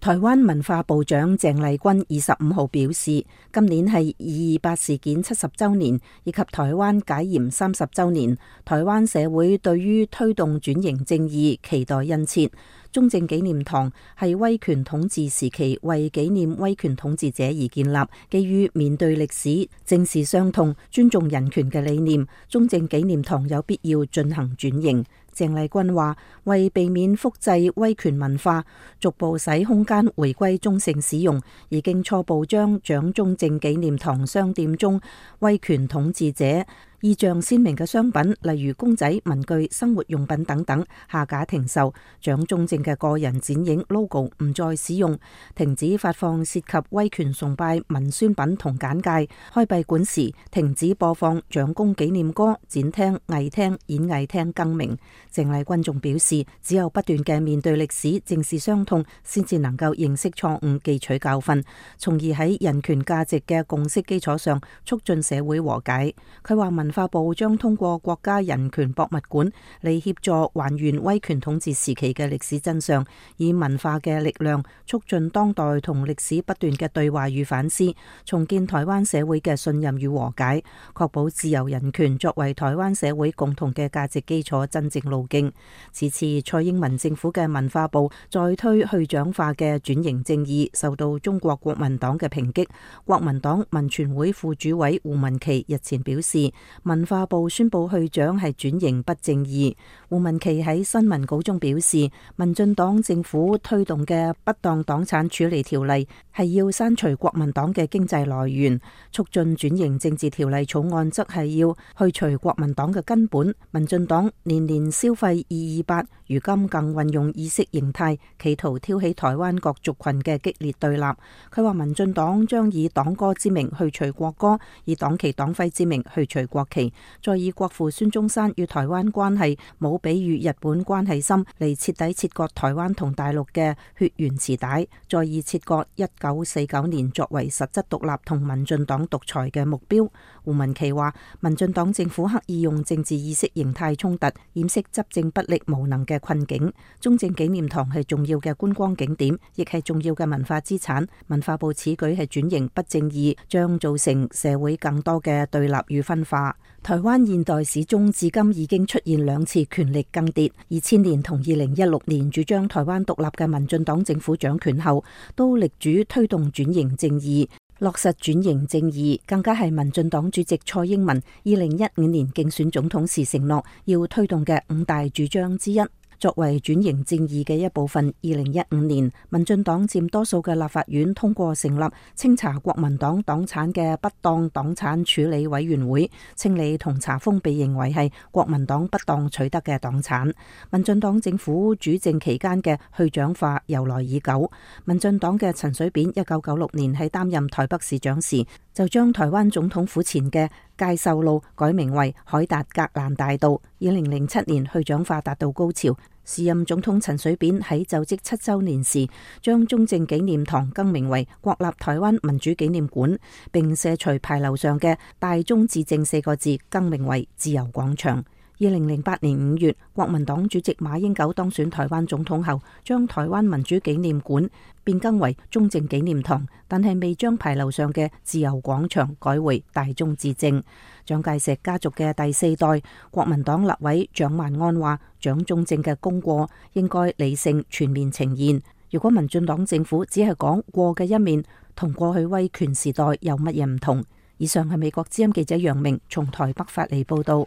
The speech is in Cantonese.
台灣文化部長鄭麗君25號表示，今年係228事件70週年，以及台灣解嚴30週年，台灣社會對於推動轉型正義期待殷切。中正紀念堂係威權統治時期為紀念威權統治者而建立，基於面對歷史、正視傷痛、尊重人權嘅理念，中正紀念堂有必要進行轉型。鄭麗君話：為避免複製威權文化，逐步使空間回歸中性使用，已經初步將蔣中正紀念堂商店中威權統治者意象鮮明嘅商品，例如公仔、文具、生活用品等等，下架停售；蔣中正嘅個人剪影 logo 唔再使用，停止發放涉及威權崇拜文宣品同簡介；開閉館時停止播放蔣公紀念歌，展廳、藝廳、演藝廳更名。鄭麗君仲表示，只有不斷嘅面對歷史、正視傷痛，先至能夠認識錯誤、記取教訓，從而喺人權價值嘅共識基礎上促進社會和解。佢話文化部將通過國家人權博物館嚟協助還原威權統治時期嘅歷史真相，以文化嘅力量促進當代同歷史不斷嘅對話與反思，重建台灣社會嘅信任與和解，確保自由人權作為台灣社會共同嘅價值基礎真正路徑。此次蔡英文政府嘅文化部再推去蔣化嘅轉型正義，受到中國國民黨嘅抨擊。國民黨民權會副主委胡文琪日前表示，文化部宣布去蔣係轉型不正義。胡文琪喺新聞稿中表示，民進黨政府推動嘅不當黨產處理條例係要刪除國民黨嘅經濟來源，促進轉型政治條例草案則係要去除國民黨嘅根本。民進黨年年消費228，如今更運用意識形態，企圖挑起台灣各族群嘅激烈對立。佢話民進黨將以黨歌之名去除國歌，以黨旗黨徽之名去除國旗，再以國父孫中山與台灣關係冇比喻日本關係深嚟徹底切割台灣同大陸嘅血緣臍帶，再以切割1949年作為實質獨立同民進黨獨裁嘅目標。胡文琪話，民進黨政府刻意用政治意識形態衝突掩飾執政不力無能嘅困境。中正紀念堂係重要嘅觀光景點，亦係重要嘅文化資產。文化部此舉係轉型不正義，將造成社會更多嘅對立與分化。台灣現代史中至今已經出現2次權力更迭，2000年同2016年主張台灣獨立嘅民進黨政府掌權後，都力主推動轉型正義，落實轉型正義，更加係民進黨主席蔡英文2015年競選總統時承諾要推動嘅5大主張之一。作為轉型正義嘅一部分，2015年民進黨佔多數嘅立法院通過成立清查國民黨黨產嘅不當黨產處理委員會，清理同查封被認為係國民黨不當取得嘅黨產。民進黨政府主政期間嘅去蔣化由來已久。民進黨嘅陳水扁1996年喺擔任台北市長時，就將台灣總統府前嘅介壽路改名為海達格蘭大道。2007年去蔣化達到高潮，時任總統陳水扁喺就職7週年時，將中正紀念堂更名為國立台灣民主紀念館，並卸除牌樓上嘅大中至正4個字，更名為自由廣場。2008年5月，國民黨主席馬英九當選台灣總統後，將台灣民主紀念館變更為中正紀念堂，但係未將牌樓上嘅自由廣場改為大中至正。蔣介石家族嘅第4代國民黨立委蔣萬安話，蔣中正嘅功過應該理性全面呈現。如果民進黨政府只係講過嘅一面，同過去威權時代有乜嘢唔同？以上係美國之音記者楊明從台北發嚟報道。